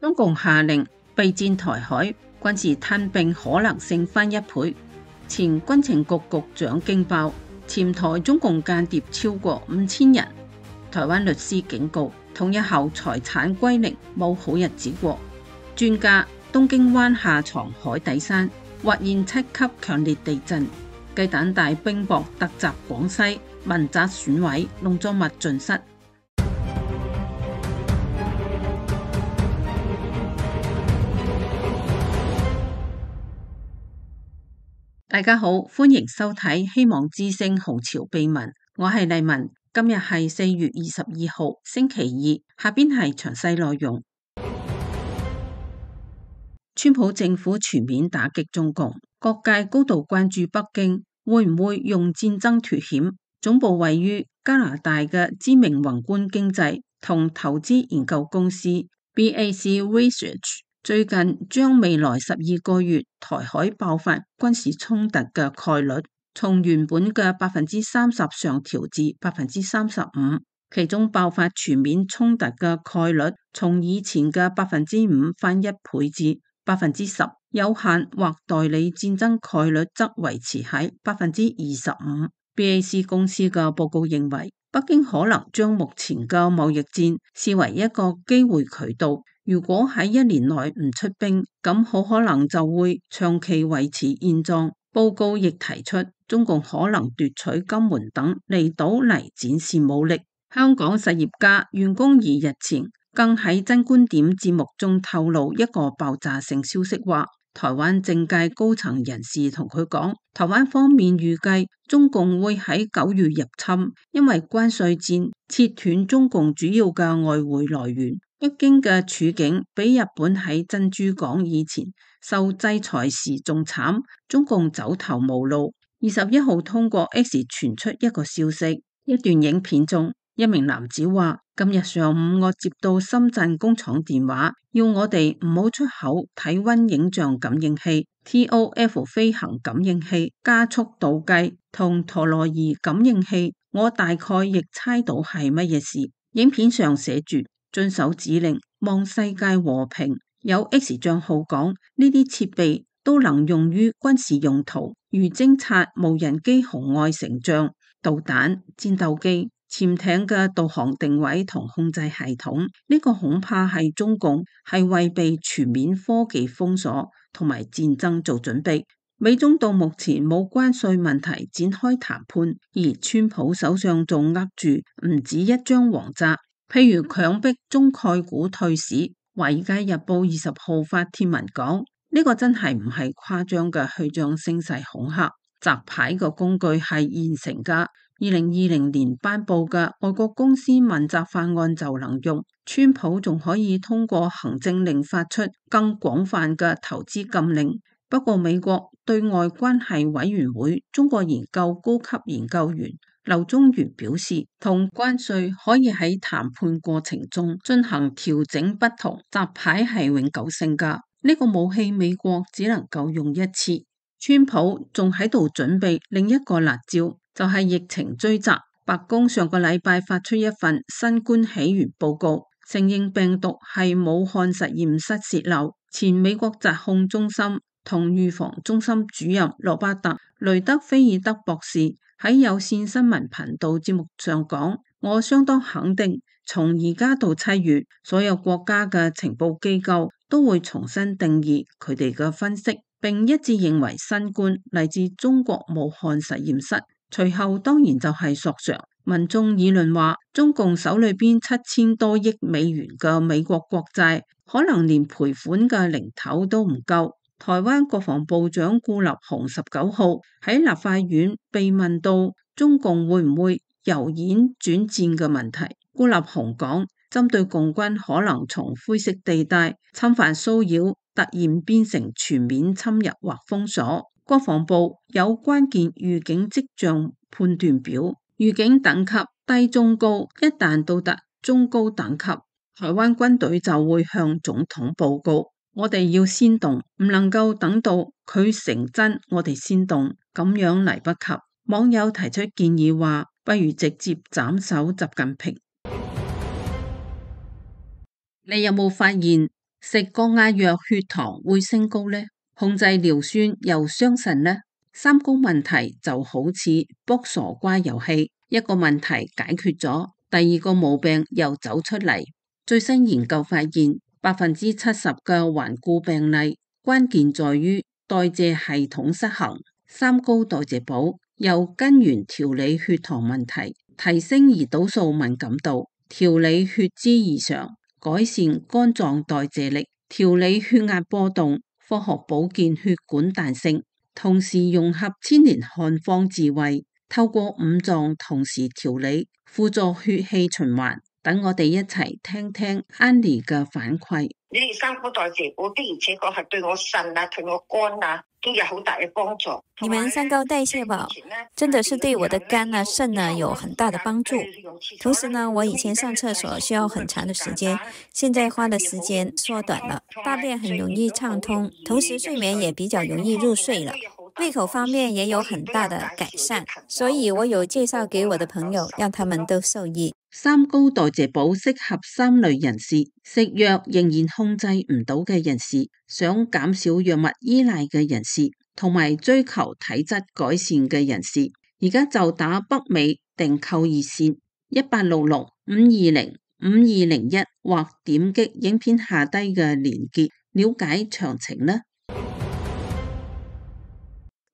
中共下令備戰台海，軍事吞併可能性翻1倍。前軍情局局長驚爆，潛台中共間諜超過5000人。台灣律師警告，統一後財產歸零，冇好日子過。專家，東京灣下藏海底山，或現7級強烈地震。雞蛋大冰雹突襲廣西，民宅損毀，農作物盡失。大家好，歡迎收睇希望之聲紅潮秘聞，我係麗文。今日係4月22號星期二，下邊係詳細內容。川普政府全面打擊中共，各界高度關注北京會唔會用戰爭脫險。總部位於加拿大嘅知名宏觀經濟同投資研究公司 BAC Research 最近將未來12個月台海爆發軍事衝突嘅概率從原本嘅30%上調至35%，其中爆發全面衝突嘅概率從以前嘅5%翻1倍至10%，有限或代理戰爭概率則維持喺25%。BAC 公司嘅報告認為，北京可能將目前嘅貿易戰視為一個機會渠道。如果喺1年內唔出兵，咁好可能就會長期維持現狀。報告亦提出，中共可能奪取金門等離島嚟展示武力。香港實業家袁弓夷日前更喺真觀點節目中透露一個爆炸性消息，話台灣政界高層人士同佢講，台灣方面預計中共會喺9月入侵，因為關稅戰切斷中共主要嘅外匯來源。北京嘅處境比日本喺珍珠港以前受制裁時仲慘，中共走投無路。21號通過 X 傳出一個消息，一段影片中，一名男子話：今日上午我接到深圳工廠電話，要我哋唔好出口體溫影像感應器、TOF 飛行感應器、加速度計同陀螺儀感應器。我大概亦猜到係乜嘢事。影片上寫住：遵守指令，望世界和平。有 X 賬號講，呢啲設備都能用於軍事用途，如偵察無人機紅外成像、導彈、戰鬥機、潛艇嘅導航定位同控制系統。呢個恐怕係中共係為被全面科技封鎖同埋戰爭做準備。美中到目前冇關稅問題展開談判，而川普手上仲握住唔止一張黃札，譬如強迫中概股退市。華爾街日報20號發帖文講，呢個真係唔係誇張嘅虛張聲勢恐嚇，摘牌嘅工具係現成嘅，2020年頒布嘅外國公司問責法案就能用。川普仲可以通過行政令發出更廣泛嘅投資禁令。不過美國對外關係委員會中國研究高級研究員劉宗元表示，同關稅可以喺談判過程中進行調整不同，摘牌係永久性㗎。呢個武器美國只能夠用一次。川普仲喺度準備另一個辣招，就係疫情追責。白宮上個禮拜發出一份新冠起源報告，承認病毒係武漢實驗室洩漏。前美國疾控中心同預防中心主任羅伯特·雷德菲爾德博士喺有線新聞頻道節目上講，我相當肯定，從而家到7月，所有國家嘅情報機構都會重新定義佢哋嘅分析，並一致認為新冠嚟自中國武漢實驗室。隨後當然就係索償。民眾議論話，中共手裏邊7000多億美元嘅美國國債，可能連賠款嘅零頭都唔夠。台灣國防部長顧立雄19號喺立法院被問到中共會唔會由演轉戰嘅問題，顧立雄講，針對共軍可能從灰色地帶侵犯騷擾突然變成全面侵入或封鎖，國防部有關鍵預警跡象判斷表，預警等級低中高，一旦到達中高等級，台灣軍隊就會向總統報告。我哋要先動，唔能夠等到佢成真，我哋先動，咁樣嚟不及。網友提出建議話，不如直接斬首習近平。你有冇發現食降壓藥血糖會升高呢？控制尿酸又傷腎呢？三高問題就好似卜傻瓜遊戲，一個問題解決咗，第二個毛病又走出嚟。最新研究發現，70%嘅頑固病例關鍵在於代謝系統失衡。三高代謝補由根源調理血糖問題，提升胰島素敏感度，調理血脂異常，改善肝臟代謝力，調理血壓波動，科學保健血管彈性，同時融合千年漢方智慧，透過五臟同時調理，輔助血氣循環。等我哋一齊聽聽 Annie 嘅反饋。你哋三高代謝補的而且確係對我腎啊、對我肝啊都有好大嘅幫助。你們三高代謝寶真的是對我的肝啊、腎啊有很大的幫助。同時呢，我以前上廁所需要很長的時間，現在花的時間縮短了，大便很容易暢通，同時睡眠也比較容易入睡了。胃口方面也有很大的改善，所以我有介紹給我的朋友，讓他們都受益。三高代謝補適合三類人士：食藥仍然控制唔到嘅人士，想減少藥物依賴嘅人士，同埋追求體質改善嘅人士。而家就打北美訂購熱線1866-520-5201，或點擊影片下低嘅連結了解詳情啦。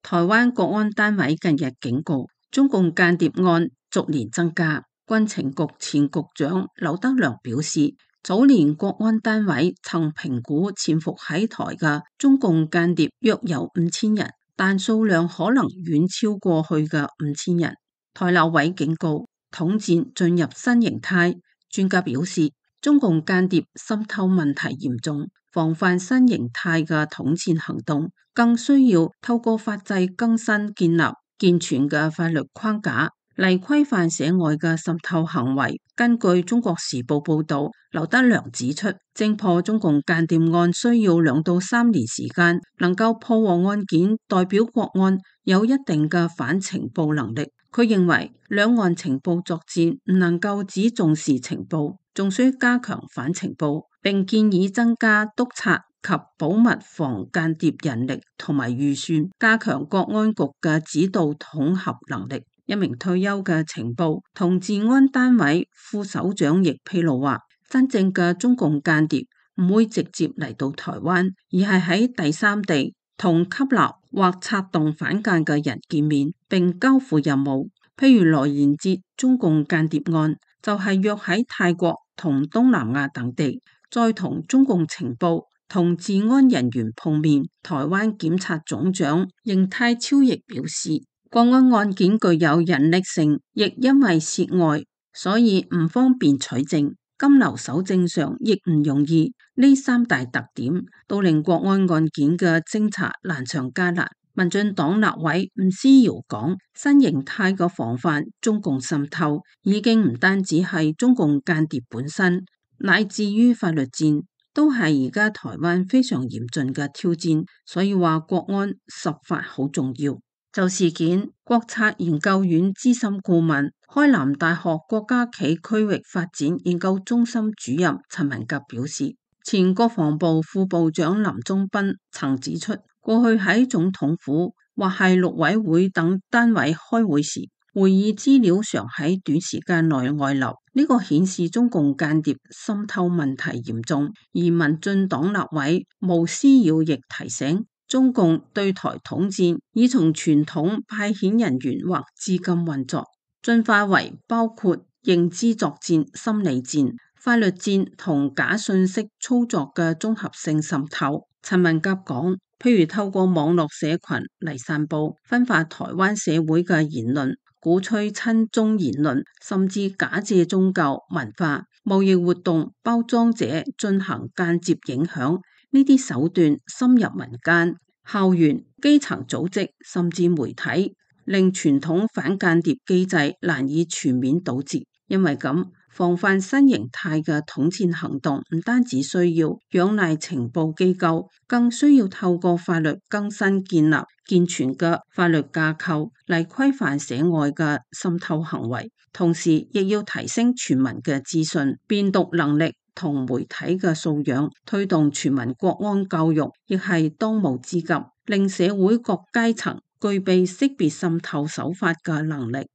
台灣國安單位近日警告，中共間諜案逐年增加。軍情局前局長劉德良表示，早年國安單位曾評估潛伏喺台嘅中共間諜約有5000人，但數量可能遠超過去嘅5000人。台立委警告，統戰進入新形態。專家表示，中共間諜滲透問題嚴重，防範新形態嘅統戰行動，更需要透過法制更新，建立健全嘅法律框架嚟規範社外嘅滲透行為。根據中國時報報道，劉德良指出，偵破中共間諜案需要2到3年時間，能夠破獲案件代表國安有一定嘅反情報能力。佢認為兩岸情報作戰唔能夠只重視情報，仲需加強反情報，並建議增加督察及保密防間諜人力同埋預算，加強國安局嘅指導統合能力。一名退休嘅情報同治安單位副首長亦披露話，真正嘅中共間諜唔會直接嚟到台灣，而係喺第三地同吸納或策動反間嘅人見面，並交付任務。譬如羅延哲中共間諜案，就係約喺泰國同東南亞等地，再同中共情報同治安人員碰面。台灣檢察總長邢太超亦表示，國安案件具有人力性，亦因為涉外，所以唔方便取證，金流搜證上亦唔容易。呢三大特點都令國安案件嘅偵查難上加難。民進黨立委吳思瑤講，新形態嘅防範中共滲透，已經唔單止係中共間諜本身，乃至於法律戰，都係而家台灣非常嚴峻嘅挑戰。所以話國安執法好重要。就事件，國策研究院資深顧問、開南大學國家企區域發展研究中心主任陳文甲表示，前國防部副部長林宗斌曾指出，過去喺總統府或係陸委會等單位開會時，會議資料常喺短時間內外流，呢個顯示中共間諜滲透問題嚴重。而民進黨立委毛思瑤亦提醒，中共對台統戰已從傳統派遣人員或資金運作，進化為包括認知作戰、心理戰、法律戰同假信息操作嘅綜合性滲透。陳文甲講，譬如透過網絡社群嚟散布分化台灣社會嘅言論，鼓吹親中言論，甚至假借宗教文化貿易活動包裝者進行間接影響。呢啲手段深入民間、校園、基層組織，甚至媒體，令傳統反間諜機制難以全面堵截。因為咁，防範新形態嘅統戰行動唔單止需要仰賴情報機構，更需要透過法律更新，建立健全嘅法律架構嚟規範社外嘅滲透行為，同時亦要提升全民嘅資訊辨讀能力同媒體嘅素養，推動全民國安教育，亦係當務之急，令社會各階層具備識別滲透手法嘅能力。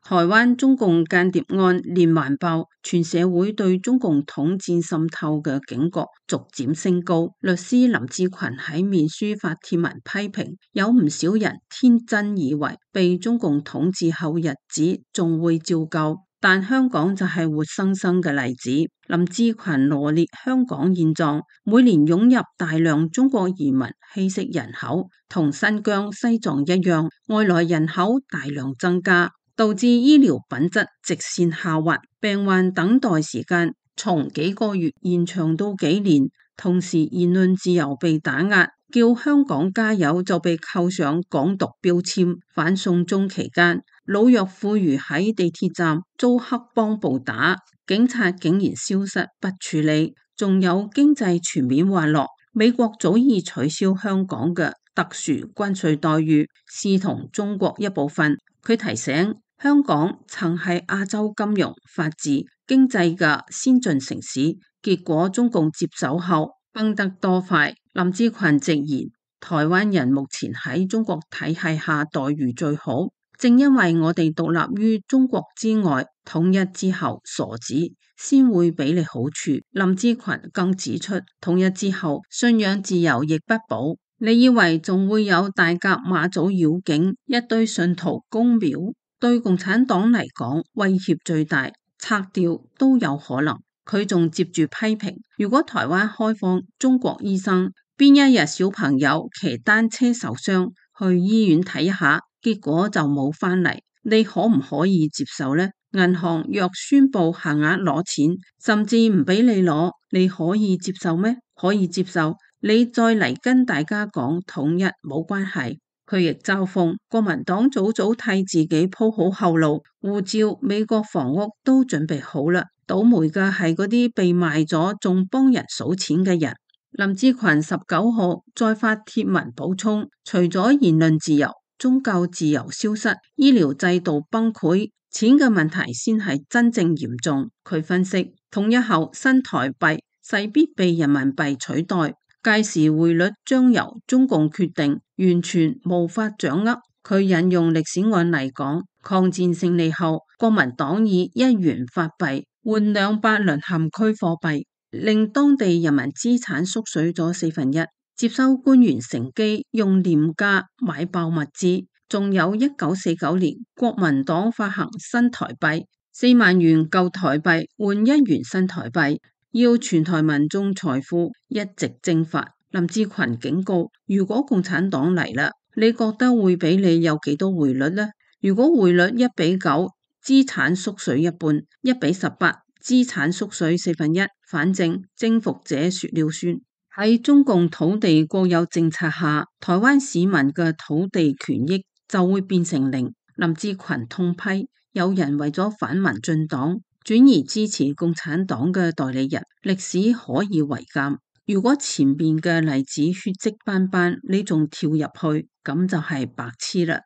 台灣中共間諜案連環爆，全社會對中共統戰滲透嘅警覺逐漸升高。律師林志群喺面書發帖文批評，有唔少人天真以為被中共統治後日子仲會照舊，但香港就係活生生嘅例子。林志群羅列香港現狀，每年湧入大量中國移民稀釋人口，同新疆、西藏一樣，外來人口大量增加，導致醫療品質直線下滑，病患等待時間從幾個月延長到幾年，同時言論自由被打壓，叫香港加油就被扣上港獨標籤。反送中期間，老弱婦孺喺地鐵站遭黑幫暴打，警察竟然消失不處理。仲有經濟全面滑落，美國早已取消香港嘅特殊關稅待遇，視同中國一部分。佢提醒，香港曾係亞洲金融、法治、經濟嘅先進城市，結果中共接手後崩得多快。林志群直言，台灣人目前喺中國體系下待遇最好，正因為我哋獨立於中國之外，統一之後傻子先會俾你好處。林志群更指出，統一之後信仰自由亦不保，你以為仲會有大甲媽祖繞境，一堆信徒公廟？對共產黨嚟講，威脅最大，拆掉都有可能。佢仲接住批評，如果台灣開放中國醫生，邊一日小朋友騎單車受傷，去醫院睇一下，結果就冇返嚟，你可唔可以接受呢？銀行若宣布限額攞錢，甚至唔俾你攞，你可以接受咩？可以接受，你再嚟跟大家講統一冇關係。佢亦嘲諷國民黨早早替自己鋪好後路，護照、美國房屋都準備好啦。倒霉嘅係嗰啲被賣咗仲幫人數錢嘅人。林志群19號再發帖文補充，除咗言論自由、宗教自由消失、醫療制度崩潰，錢嘅問題先係真正嚴重。佢分析，統一後新台幣勢必被人民幣取代，屆時匯率將由中共決定，完全無法掌握。佢引用歷史案例講，抗戰勝利後，國民黨以1元法幣換200淪陷區貨幣，令當地人民資產縮水咗1/4，接收官員乘機用廉價買爆物資。仲有1949年，國民黨發行新台幣，4萬元舊台幣換1元新台幣，要全台民眾財富一直蒸發。林志群警告，如果共產黨嚟啦，你覺得會俾你有幾多匯率呢？如果匯率1:9，資產縮水一半；1:18，資產縮水1/4，反正征服者說了算。喺中共土地國有政策下，台灣市民嘅土地權益就會變成零。林志群痛批，有人為咗反民進黨，轉而支持共產黨嘅代理人，歷史可以為鑑。如果前面嘅例子血跡斑斑，你仲跳入去，咁就係白痴啦。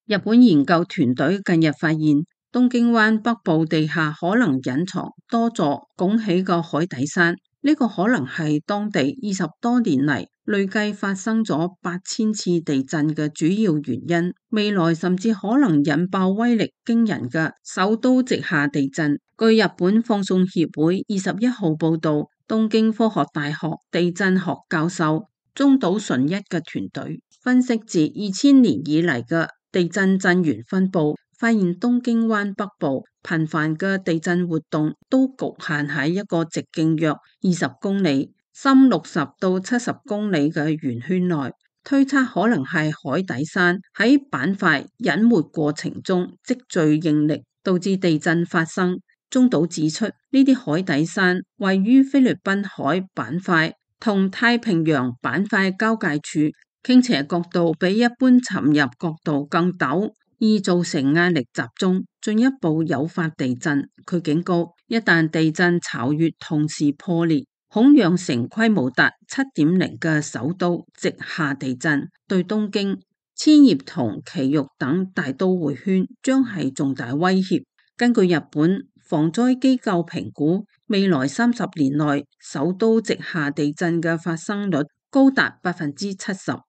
日本研究團隊近日發現，東京灣北部地下可能隱藏多座拱起嘅海底山，呢個可能係當地20多年嚟累計發生咗8000次地震嘅主要原因。未來甚至可能引爆威力驚人嘅首都直下地震。據日本放送協會21號報道，東京科學大學地震學教授中島純一嘅團隊分析自2000年以嚟嘅地震震源分佈，發現東京灣北部頻繁嘅地震活動都局限喺一個直徑約20公里、深60到70公里嘅圓圈內，推測可能係海底山喺板塊隱沒過程中積聚應力，導致地震發生。中島指出，呢啲海底山位於菲律賓海板塊同太平洋板塊交界處，傾斜角度比一般沉入角度更陡，易造成壓力集中，進一步誘發地震。佢警告，一旦地震巢穴同時破裂，恐釀成規模達7.0嘅首都直下地震，對東京、千葉同埼玉等大都會圈將係重大威脅。根據日本防災機構評估，未來30年內首都直下地震嘅發生率高達70%。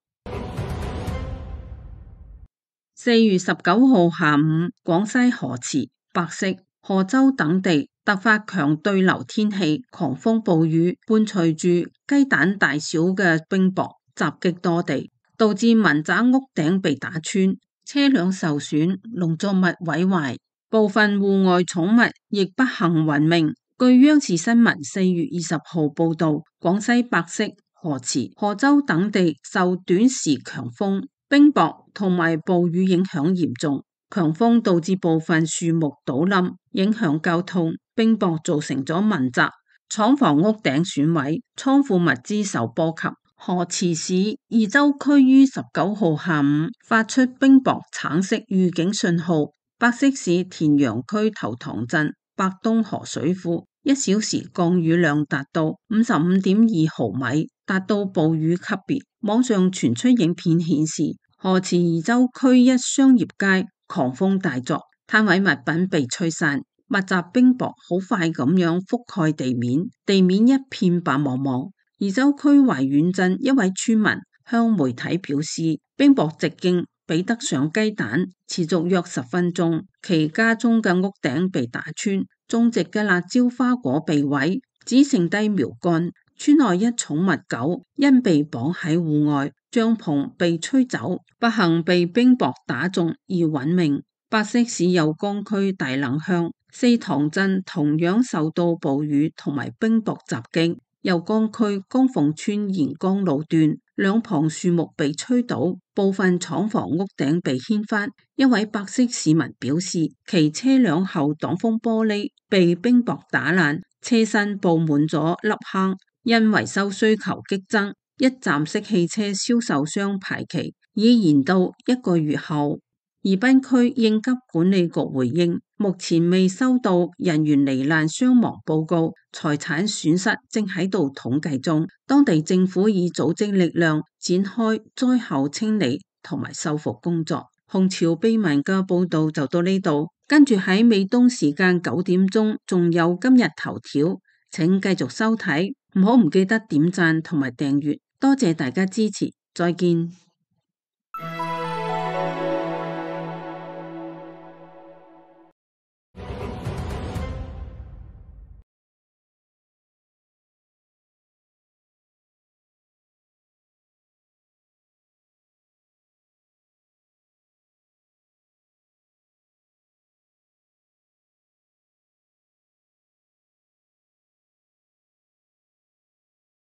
4月19號下午，廣西河池、百色、賀州等地突發強對流天氣，狂風暴雨伴隨住雞蛋大小嘅冰雹襲擊多地，導致民宅屋頂被打穿，車輛受損，農作物毀壞，部分戶外寵物亦不幸殞命。據央視新聞4月20號報道，廣西百色、河池、賀州等地受短時強風、冰雹同埋暴雨影響嚴重，強風導致部分樹木倒冧，影響交通；冰雹造成咗民宅、廠房屋頂損毀，倉庫物資受波及。河池市二州區於19號下午發出冰雹橙色預警信號，百色市田陽區頭塘鎮白東河水庫1小時降雨量達到55.2毫米，達到暴雨級別。網上傳出影片顯示，河池二州區一商業街狂風大作，攤位物品被吹散，密集冰雹好快咁樣覆蓋地面，地面一片白茫茫。二州區懷遠鎮一位村民向媒體表示，冰雹直徑比得上雞蛋，持續約10分鐘，其家中嘅屋頂被打穿，種植嘅辣椒花果被毀，只剩低苗乾。村內一寵物狗因被綁喺戶外，帳篷被吹走，不幸被冰雹打中而殞命。百色市右江區大冷鄉四塘鎮同樣受到暴雨同埋冰雹襲擊，右江區江鳳村沿江路段兩旁樹木被吹倒，部分廠房屋頂被掀翻。一位百色市民表示，其車輛後擋風玻璃被冰雹打爛，車身布滿咗凹坑。因維修需求激增，一站式汽車銷售商排期已延到1個月後。宜賓區應急管理局回應，目前未收到人員罹難傷亡報告，財產損失正喺度統計中。當地政府已組織力量展開災後清理同埋修復工作。紅潮秘聞嘅報道就到呢度，跟住喺美東時間9點鐘仲有今日頭條，請繼續收睇。唔記得點讚同埋訂閱，多謝大家支持，再見。